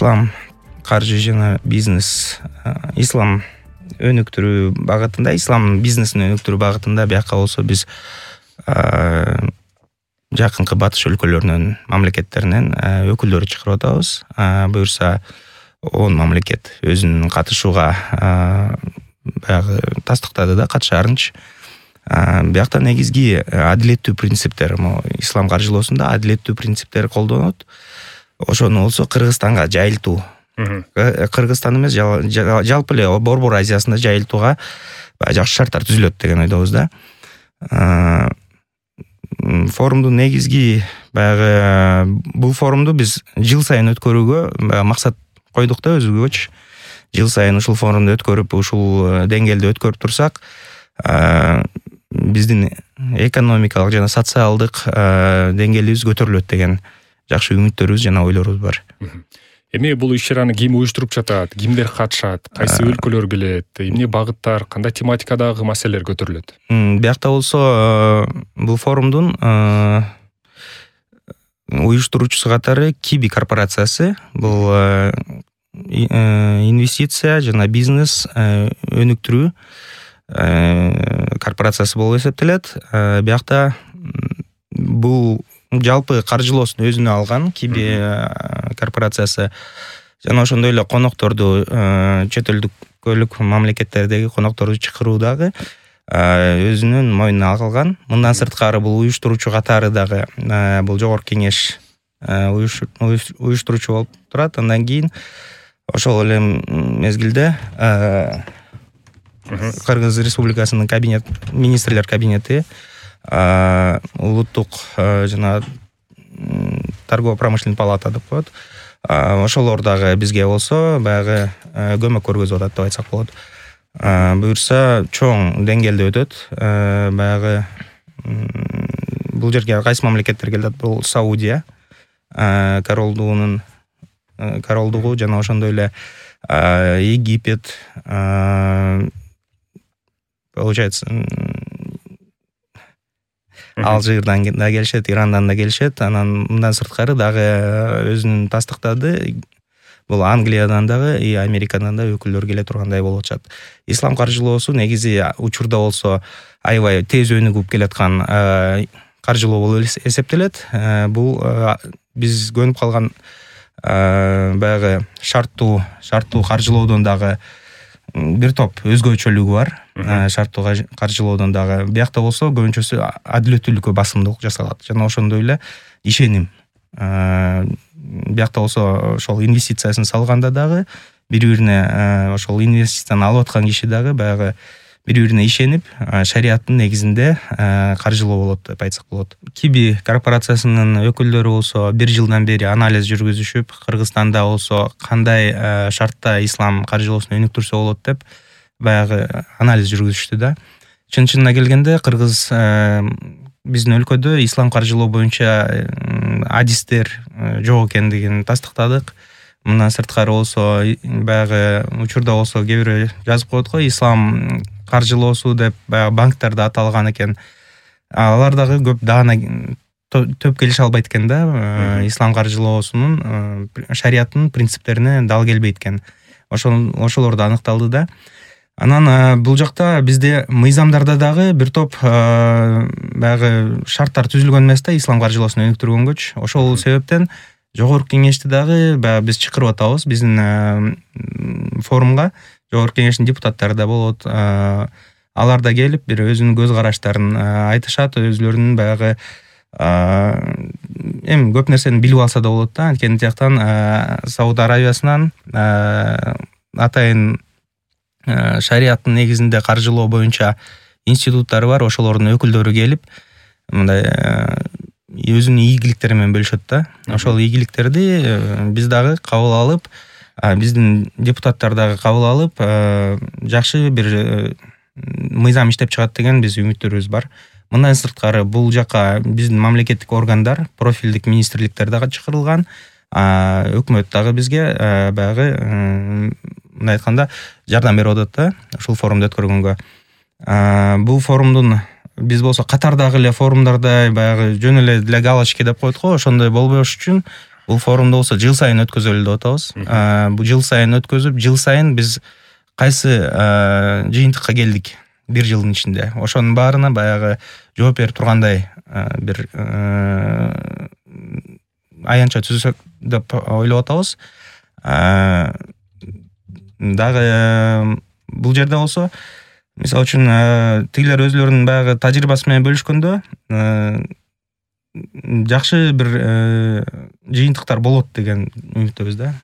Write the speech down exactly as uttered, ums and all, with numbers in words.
ислам каржы жана бизнес, ислам өнүктүрүү багытында, ислам бизнесин өнүктүрүү багытында бияка болсо биз жакынкы батыш өлкөлөрүнүн мамлекеттеринен өкүлдөрү чакырып атабыз. Буюрса он мамлекет өзүнүн катышууга баягы тастыктады да, катышаарынчы. Биякта негизги адилеттүү принциптер, ислам каржылоосунда адилеттүү принциптер колдонот. Ошону болсо Кыргызстанга жайылтуу. Кыргызстан эмес, жалпы эле Борбор Азиясында жайылтууга жакшы шарттар түзүлөт деген ойдобуз да. Форумдун негизги баягы бул форумду биз жыл сайын өткөрүүгө максат койдук да өзүбүзгөчү. Жыл сайын ушул форумду өткөрүп, ушул деңгээлде өткөрүп турсак, биздин экономикалык жана социалдык деңгээлибиз көтөрүлөт деген жакшы үмүттөрүбүз жана ойлорубуз бар. Эми бул иш-чараны ким уюштуруп жатат, кимдер катышат, кайсы өлкөлөр келет, эмне багыттар, кандай тематикадагы маселелер көтөрүлөт? Биякта болсо бул форумдун уюштуруучусу катары Киби корпорациясы. Бул инвестиция жана бизнес өнүктүрүү корпорациясы болуп эсептелет. Биякта бул жалпы каржылоосун өзүнө алган Киби корпорациясы жана ошондой эле конокторду, чет өлкөлүк мамлекеттердеги конокторду чакыруудагы өзүнүн мойнуна алган. Мындан сырткары бул уюштуруучу катары дагы бул Жогорку Кеңеш уюштуруучу болуп турат. Андан кийин ошол эле мезгилде Кыргыз Республикасынын кабинет, министрлер кабинети, улуттук жана торгово-промышленный палата деп коет. Ошолор дагы бизге болсо баягы көмөк көргөзүп атат деп айтсак болот. Буюрса чоң деңгээлде өтөт. Баягы бул жерге кайсы мамлекеттер келет? Бул Саудия, королдугунун королдугу жана ошондой эле Египет, получается Алжирдан да келишет, Ирандан да келишет. Анан мындан сырткары дагы өзүнүн тастыктады. Бул Англиядан дагы и Америкадан да өкүлдөр келе тургандай болуп атышат. Ислам каржылоосу негизи учурда болсо аябай тез өнүгүп келаткан каржылоо болуп эсептелет. Бул биз көнүп калган баягы шарттуу шарттуу каржылоодон дагы бир топ өзгөчөлүгү бар. Шарттуу каржылоодон дагы биякта болсо көбүнчөсү адилеттүүлүккө басымдуулук жасалат жана ошондой эле ишеним. Биякта болсо ошол инвестициясын салганда дагы бири-бирине, ошол инвестицияны алып аткан киши дагы баягы бири-бирине ишенип, шариаттын негизинде каржылоо болот деп айтсак болот. Киби корпорациясынын өкүлдөрү болсо бир жылдан бери анализ жүргүзүшүп, Кыргызстанда болсо кандай шартта ислам каржылоосун өнүктүрсө болот деп баягы анализ жүргүзүштү да. Чын-чынына келгенде Кыргыз биздин өлкөдө ислам каржылоо боюнча адистер жок экендигин тастыктадык. Мындан сырткары болсо баягы учурда болсо кээ бирөө жазып коет го, ислам каржылоосу деп баягы банктарда аталган экен. Алар дагы көп даана төп келише албайт экен да. Ислам каржылоосунун шариаттын принциптерине дал келбейт экен. Ошол ошолор да аныкталды да. Анан бул жакта бизде мыйзамдарда дагы бир топ баягы шарттар түзүлгөн эмес да, ислам каржылоосун өнүктүргөнгөчү. Ошол себептен Жогорку Кеңешти дагы баягы биз чакырып атабыз. Биздин форумга Жогорку Кеңештин депутаттары да болот. Алар да келип бир өзүнүн көз караштарын айтышат, өзүлөрүнүн баягы эми көп нерсени билип алса да болот да. Анткени тияктан Сауд Аравиясынан атайын шариаттын негизинде каржылоо боюнча институттары бар, ошолордун өкүлдөрү келип мындай өзүнүн ийгиликтери менен бөлүшөт да. Ошол ийгиликтерди биз дагы кабыл алып, биздин депутаттар дагы кабыл алып, жакшы бир мыйзам иштеп чыгат деген биз үмүттөрүбүз бар. Мындан сырткары бул жака биздин мамлекеттик органдар, профилдик министрликтер дагы чакырылган. Өкмөт дагы бизге баягы мындай айтканда жардам берип атат да, ушул форумду өткөргөнгө. Бул форумдун биз болсо катардагы эле форумдарда баягы жөн эле для галочки деп коет го, ошондой болбош үчүн Бул форумду болсо жыл сайын өткөзөлү деп атабыз. Бул жыл сайын өткөзүп, жыл сайын биз кайсы жыйынтыкка келдик бир жылдын ичинде. Ошонун баарына баягы жооп берип тургандай бир аянтча түзсөк деп ойлоп атабыз. Дагы бул жерде болсо, мисалы үчүн тигилер өзлөрүнүн баягы тажрыйбасы менен бөлүшкөндө жакшы бир жыйынтыктар болот деген үмүттөбүз да.